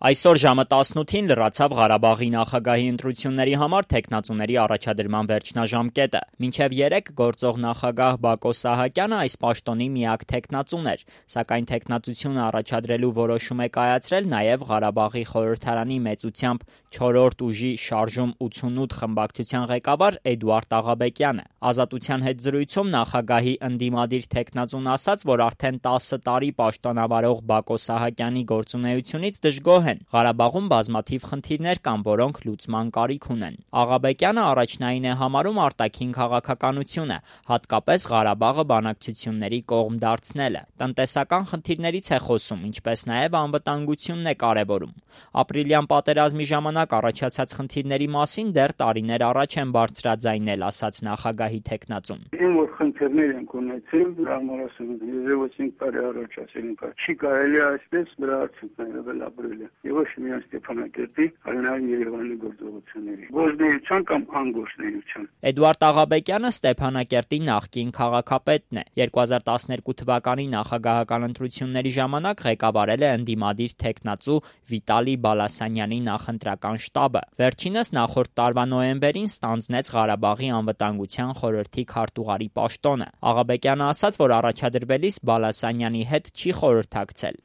Այսօր ժամը 18-ին լրացավ Ղարաբաղի նախագահի ընտրությունների համար թեկնածուների առաջադրման վերջնաժամկետը։ Մինչև 3 գործող նախագահ Բակո Սահակյանը այս պաշտոնի միակ թեկնածուն էր, սակայն թեկնածությունը առաջադրելու որոշում է կայացրել նաև Ղարաբաղի խորհրդարանի մեծությամբ 4-րդ ուժի շարժում 88 խմբակցության ղեկավար Էդուարդ Աղաբեկյանը։ Ազատության հետ զրույցում նախագահի ընդդիմադիր թեկնածուն ասաց, որ արդեն 10 տարի պաշտոնավարող Բակո Սահակյանի գործունեությունից դժգոհ են։ Ղարաբաղում բազմաթիվ խնդիրներ կան, որոնք լուծման կարիք ունեն։ Աղաբեկյանը առաջնային է համարում արտաքին քաղաքականությունը, հատկապես Ղարաբաղը բանակցությունների կողմ դարձնելը։ Տնտեսական խնդիրներից է խոսում, ինչպես նաև անվտանգությունն է կարևորում։ Ապրիլյան պատերազմի ժամանակ առաջացած խնդիրների մասին դեռ տարիներ առաջ են բարձրաձայնել, ասաց նախագահի թեկնածուն։ Որ խնդիրներ ենք ունեցել, դրա համար ասում եմ, եւ 5 տարի առաջ ասել ենք, չի կարելի այսպես դրա արդյունքները վերաբերել։ Եվ ոչ միայն Ստեփանակերտի, այլ նաև Երևանի գործողությունների։ Գործնեության կամ անգործնեության։ Էդուարդ Աղաբեկյանը Ստեփանակերտի նախկին քաղաքապետն է։ 2012 թվականի նախագահական ընտրությունների ժամանակ ղեկավարել է ընդդիմադիր թեկնածու Վիտալի Բալասանյանի նախընտրական շտաբը։ Վերջինս նախորդ տարվա նոյեմբերին ստանձնեց Ղարաբաղի անվտանգության խորհրդի քարտուղարի պաշտոնը։ Աղաբեկյանը ասաց, որ առաջադրվելիս Բալասանյանի հետ չի խորհրդակցել։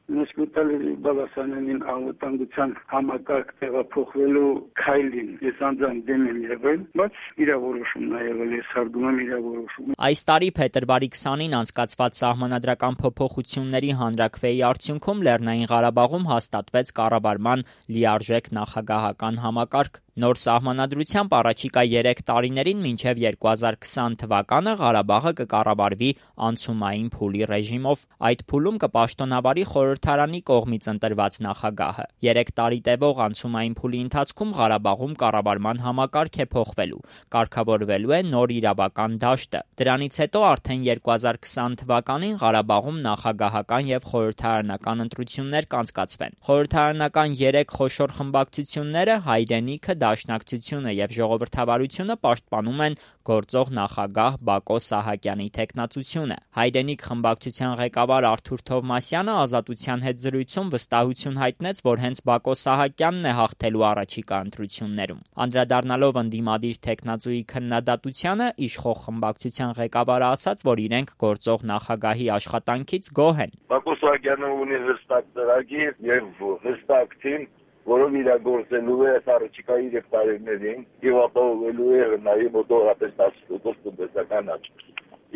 Վիտալի Բալասանյանին անվտանգության համակարգ տեղափոխվելու քայլին ես անձամբ դեմ եմ եղել, բայց իր որոշումն է եղել, ես հարգում եմ իր որոշումը։ Այս տարի փետրվարի 20-ին անցկացված սահմանադրական փոփոխությունների հանրաքվեի արդյունքում Լեռնային Ղարաբաղում հաստատվեց կառավարման լիարժեք նախագահական համակարգ։ Նոր սահմանադրությամբ առաջիկա 3 տարիներին մինչև 2020 թվականը Ղարաբաղը կկառավարվի անցումային փուլի ռեժիմով։ Այդ փուլում կպաշտոնավարի խորհրդարանի կողմից ընտրված նախագահը։ 3 տարի տևող անցումային փուլի ընթացքում Ղարաբաղում կառավարման համակարգ է փոխվելու, կարգավորվելու է նոր իրավական դաշտը։ Դրանից հետո արդեն 2020 թվականին Ղարաբաղում նախագահական եւ խորհրդարանական ընտրություններ կանցկացվեն։ Խորհրդարանական 3 խոշոր խմբակցությունները Հայրենիքը, Դաշնակցությունը եւ Ժողովրդավարությունը պաշտպանում են գործող նախագահ Բակո Սահակյանի թեկնածությունը։ Հայրենիք խմբակցության ղեկավար Արթուր Թովմասյանը Ազատության հետ զրույցում վստահություն հայտնեց, որ հենց Բակո Սահակյանն է հաղթելու առաջիկա ընտրություններում։ Անդրադառնալով ընդդիմադիր թեկնածուի քննադատությանը, իշխող խմբակցության ղեկավարը ասաց, որ իրենք գործող նախագահի աշխատանքից գոհ են։ Բակո Սահակյանը ունի հստակ ծրագիր եւ հստակ թիմ, որով իրագործելու է առաջիկա 3 տարիներին եւ ապահովելու է նաեւ մոտավորապես 10% տնտեսական աճ։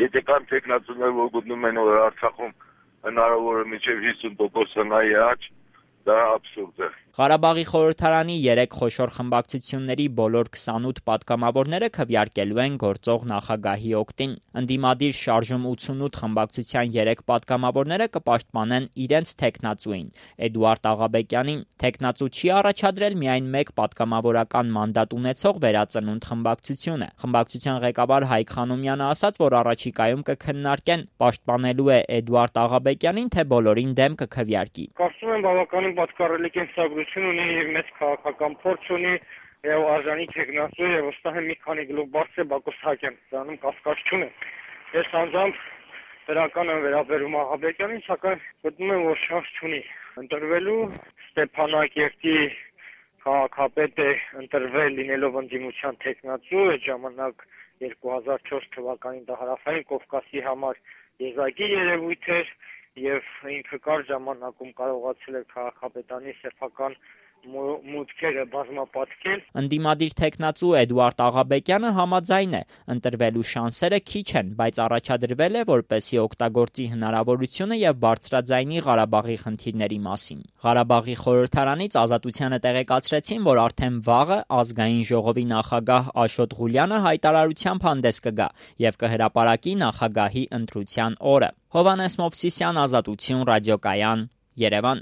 Եթե կան տեխնացուներ, որ գտնում են, որ Արցախում հնարավոր է մինչև 50% հնայի աճ, դա աբսուրդ է։ Ղարաբաղի խորհրդարանի 3 խոշոր խմբակցությունների բոլոր 28 պատգամավորները քվեարկելու են գործող նախագահի օգտին։ Ընդդիմադիր շարժում 88 խմբակցության 3 պատգամավորները կպաշտպանեն իրենց թեկնածուին՝ Էդուարդ Աղաբեկյանին։ Թեկնածու չի առաջադրել միայն 1 պատգամավորական մանդատ ունեցող Վերածնունդ խմբակցությունը։ Խմբակցության ղեկավար Հայկ Խանոմյանը ասաց, որ առաջիկայում կքննարկեն պաշտպանելու է Էդուարդ Աղաբեկյանին, թե բոլորին դեմ կքվեարկի։ Կարծում եմ բավականին պատկառելի կենսագրություն ունի եւ մեծ քաղաքական փորձ ունի եւ արժանի տեխնացու եւ վստահ եմ մի քանի գլուխ բարձր Բակո Սահակյան, դրանում կասկած չունեմ։ Ես անձամբ դրական եմ վերաբերում Աղաբեկյանին, սակայն գտնում եմ, որ շանս չունի ընտրվելու։ Ստեփանակերտի քաղաքապետ է ընտրվել լինելով ընդդիմության տեխնացու, այդ ժամանակ 2004 թվականին դա հարավային Կովկասի համար եզակի երևույթ էր եւ ինքը կար ժամանակում կարողացել է քաղաքապետանի սեփական մուտքերը բազմապատկել։ Ընդդիմադիր թեկնածու Էդուարդ Աղաբեկյանը համաձայն է, ընտրվելու շանսերը քիչ են, բայց առաջադրվել է, որպեսզի օգտագործի հնարավորությունը եւ բարձրաձայնի Ղարաբաղի խնդիրների մասին։ Ղարաբաղի խորհրդարանից Ազատությանը տեղեկացրեցին, որ արդեն վաղը ազգային ժողովի նախագահ Աշոտ Ղուլյանը հայտարարությամբ հանդես կգա եւ կհրապարակի նախագահի ընտրության օրը։ Հովհաննես Մովսիսյան, Ազատություն, ռադիոկայան, Երևան։